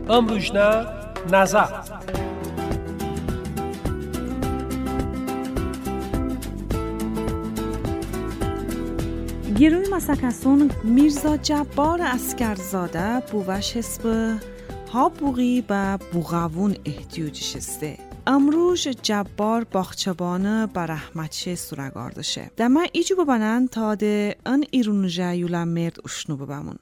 امروزنا نظر گیروی مسکسون میرزا جبار عسکرزاده بوش حسب ها بوغی و بوغاوون احتیاجشسته. امروز جبار باغچبان برحمتشه سورگاردشه. دما ایجو ببنن تا ده ان ایرونجا یولا مرد اشنو ببمون.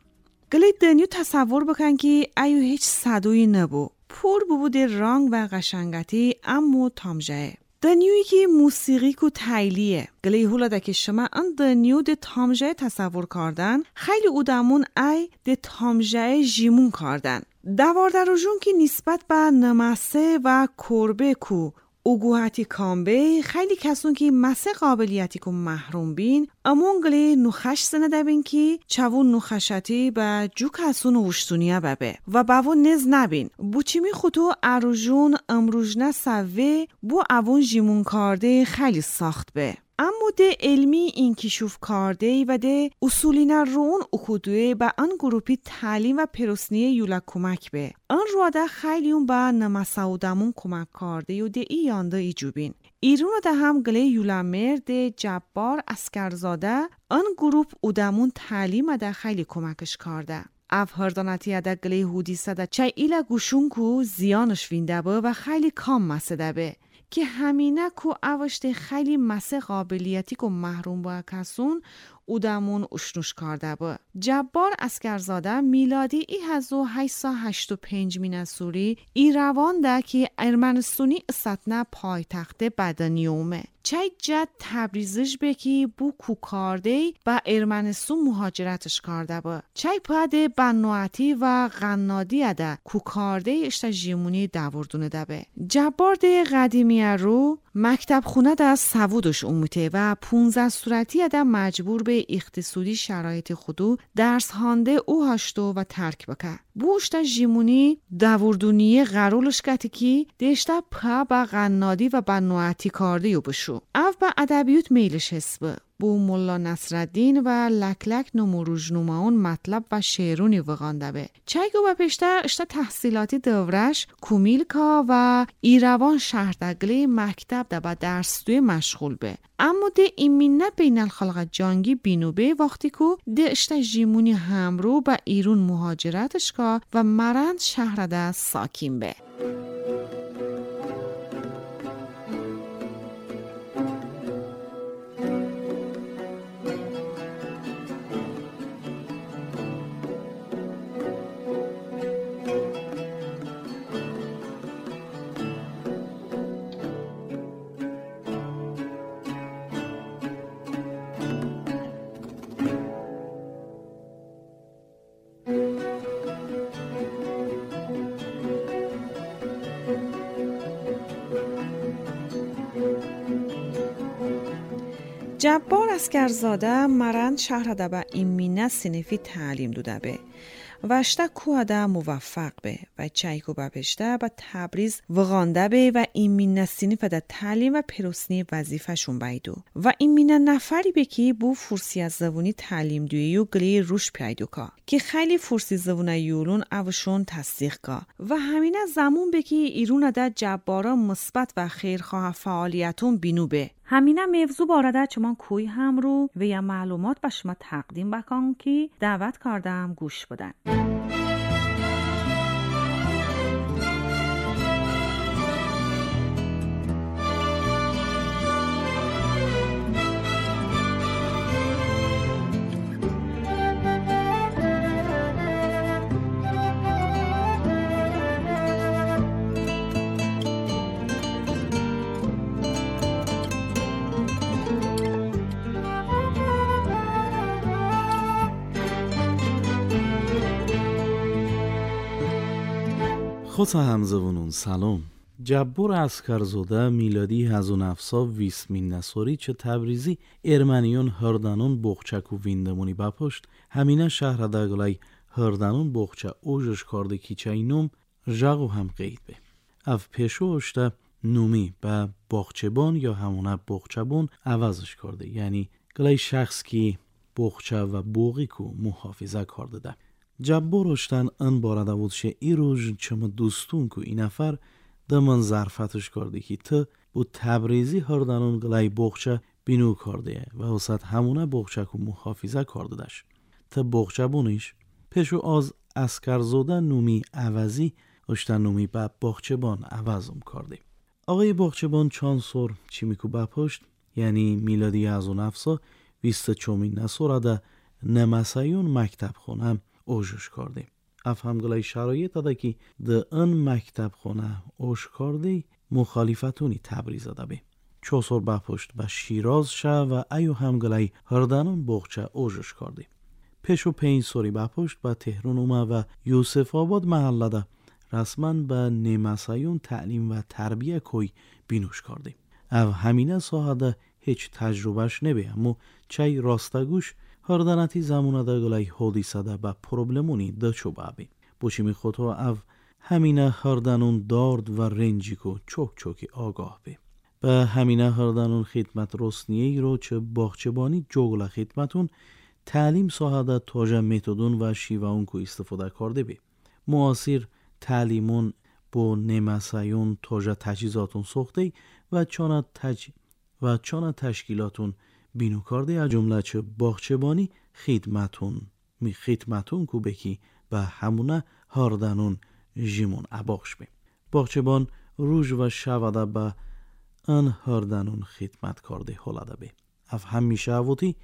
گلی دنیو تصور بکن که ایو هیچ صدوی نبو. پور ببود رنگ و قشنگتی امو تامجه. دنیوی که موسیقی کو تایلیه. گلی هولا ده که شما ان دنیو ده تامجه تصور کردن، خیلی اودمون ای ده تامجه جیمون کردن. دواردروژون که نسبت به نمسه و کربه کو اوگوهتی کامبه خیلی کسون که مسه قابلیتی کو محروم بین امون گلی نخش سنه دبین که چوون نخشتی به جو کسون وشتونیا ببه و باو نز نبین بوچیمی خودو اروژون امروژنه سوه بو اوون جیمون کارده خیلی ساخت به. اما ده علمی این کشوف کارده و ده اصولینه رون اکودوه به آن گروپی تعلیم و پرسنی یولا کمک به. آن رو ده خیلیون به نمساودمون کمک کارده و ده ای یانده ای جوبین. ایرون ده هم گله یولا ده جبار عسکرزاده آن گروپ اودمون تعلیم ده خیلی کمکش کارده. اف هردانتی ده گله حدیثه ده چای ایلا گوشون کو زیانش وینده به و خیلی کام مسده به. که همینه کو اوشته خیلی مسه قابلیتی که محروم با کسون اودمون اشنوش کرده با. جبار عسکرزاده میلادی ای 1885 مینسوری ای روان ده که ارمنستونی استنه پایتخت بدنیومه. چای جد تبریزش به که بو کوکارده با ارمنستون مهاجرتش کرده با. چای پاده بنوعتی و غنادی ده کوکارده اشتا جیمونی دوردونه ده به. جبار ده قدیمی رو مکتب خونه ده سوودش اومده و 15 صورتی ده مجبور به اقتصادی شرایط خودو درس هانده او هاشتو و ترک بکه. بو اشتا جیمونی دوردونی غرولش کتی که دشتا پا با غنادی و بنوعتی کارده یو بشو. او با ادبیوت میلش حسبه. بو ملا نصرالدین و لکلک نموروژ نماون مطلب و شعرونی وغانده به. چایگو و پشته اشتا تحصیلاتی دورش کومیلکا و ایروان شهردگلی مکتب ده با درس دوی مشغول به. اما ده ایمینه بین الخلق جانگی بینوبه وقتی کو ده اشتا جیمونی همرو با ایرون مهاجرتش کا و مرند شهر ده ساکین به. جبار عسکرزاده مرند شهر ده به ایمینه صنفی تعلیم دوده به و اشتا کوه ده موفق به و چایکو بپشته به تبریز وغانده به و ایمینه صنف ده تعلیم و پرسنی وظیفه شون بیدو و ایمینه نفری به که بو فرسی از زبونی تعلیم دویی و گلی روش پیدو کا که خیلی فرسی زبونه یولون اوشون تصدیق کا و همینه زمون به که ایرون ده جبارا مثبت و خیرخواه فعالیتون بینو به. همینه موضوع بارده چمان کوی هم رو و یا معلومات به شما تقدیم بکن که دعوت کردم گوش بدن. خود همزبونون سلام. جبار عسکرزاده میلادی 1920 مینسوری چه تبریزی ارمنیون هردنون بغچک و ویندمونی بپشت همینه شهر دگلای هردنون بغچه اوجش کرده کیچه نوم ژغو هم قید به. اف پیشو اشته نومی به باغچبان یا همونه بغچبون عوضش کرده، یعنی گلای شخص که بغچه و بوغی کو محافظه کرده ده. جبار اشتن ان بارده بود شه ای روز چم دوستون کو این نفر دمن ظرفتش کرده که ت بو تبریزی هردنون گلای بغچه بینو کرده و وسط همونه بغچه کو محافظه کرده داشت. ت بغچه بونیش پیشو از عسکرزاده نومی عوضی اشتن نومی به باغچبان عوضم کرده. آقای باغچبان چند سور چیمیکو بپشت یعنی میلادی از اون افسا ویست چومین نسوره نمسایون مکتب خونه اوجش کرده. اف همگلای شرایط داده که ده ان مکتب خونه اوش کرده مخالفتونی تبریز داده بی. چو سور بپشت به شیراز شه و ایو همگلای هردنون بغچه اوجش کرده. پیش و 5 سوری بپشت به تهران اومه و یوسف آباد محله ده رسما به نمسایون تعلیم و تربیه کوی بینوش کرده. او همینه ساحه ده هیچ تجربهش نبی اما چای راستگوش هردنتی زمونه ده گلای حادثه ده به پروبلمونی ده چو بابی. بوچی خودها او همینه هردنون دارد و رنجی کو چوک چوکی آگاه بی. به همینه هردنون خدمت رسنیه رو چه باغچبانی جوگل خدمتون تعلیم ساحه ده تاجه متدون و شیوهون کو استفاده کرده بی. معاصر تعلیمون با نمسایون تاجه تجهیزاتون ساخته و چانه تشکیلاتون بینو کرده از جمله چه باغچبانی خدمتون کو بکی به همونه هاردنون جیمون عباخش بی. باغچبان روز و شوده به ان هاردنون خدمت کرده حالاده بی. اف همیشه اوتی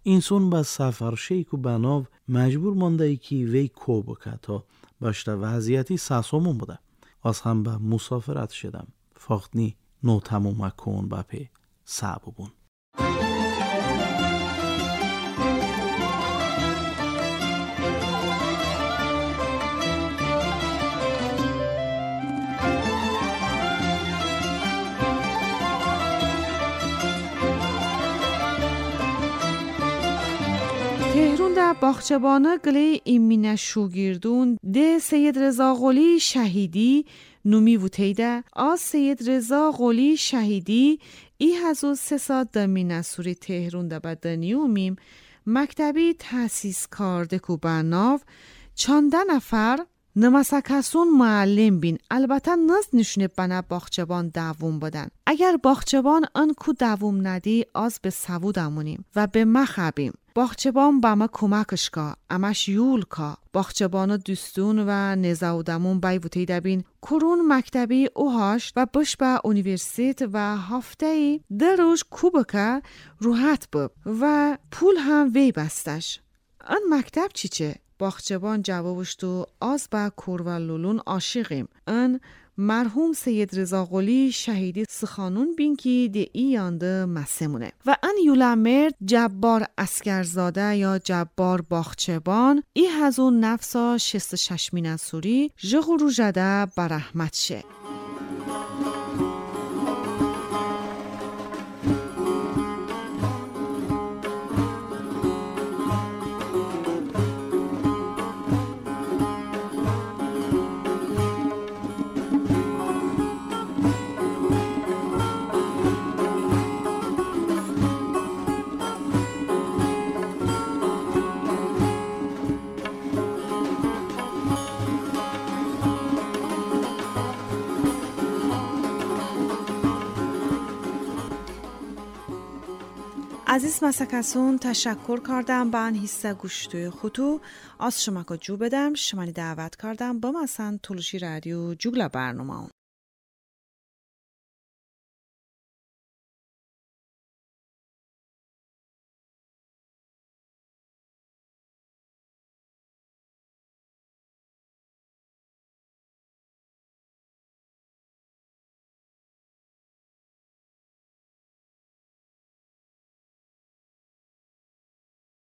اینسون به سفر شیک و بناو مجبور مانده ای که وی کو بکه تا باشته وضعیتی ساسومون بوده. از هم به مسافرت شدم. فاختنی نو تموم کن به پی سببون. تهرون ده باغچبانه گلی ایمینه شوگیردون ده سید رضا قلی شهیدی نومی ووتیده آز سید رضا قلی شهیدی ای هزو سه ساعت دمینه سوری تهرون ده بدنیومیم مکتبی تاسیس کارده کو بناو چنده نفر نمسکسون معلم بین. البته نز نشونه بنا باغچبان دوم بدن. اگر باغچبان آن کو دوم ندی آز به سوود امونیم و به مخبیم. باغچبان به ما کمکش کا، امش یول کا. باغچبان دوستون و نزاودمون بای ووتی دبین. کرون مکتبی اوهاش و بش به اونیورسیت و هفته در روز کوبکه روحت بب و پول هم وی بستش. آن مکتب چی چه؟ باغچبان جوابش تو آز به کورولولون عاشقیم. ان مرحوم سید رضا قلی شهیدی سخانون بین که ده ای یانده مسمونه. و ان یولمرد جبار عسکرزاده یا جبار باغچبان ای هزون نفسا 66 مینسوری جغرو جده برحمت شه. عزیز مسکسون تشکر کردم با آن حصه گوشتوی خودو از شما که جو بدم شمانی دعوت کردم با مثلا طولشی رادیو جوگلا برنامه.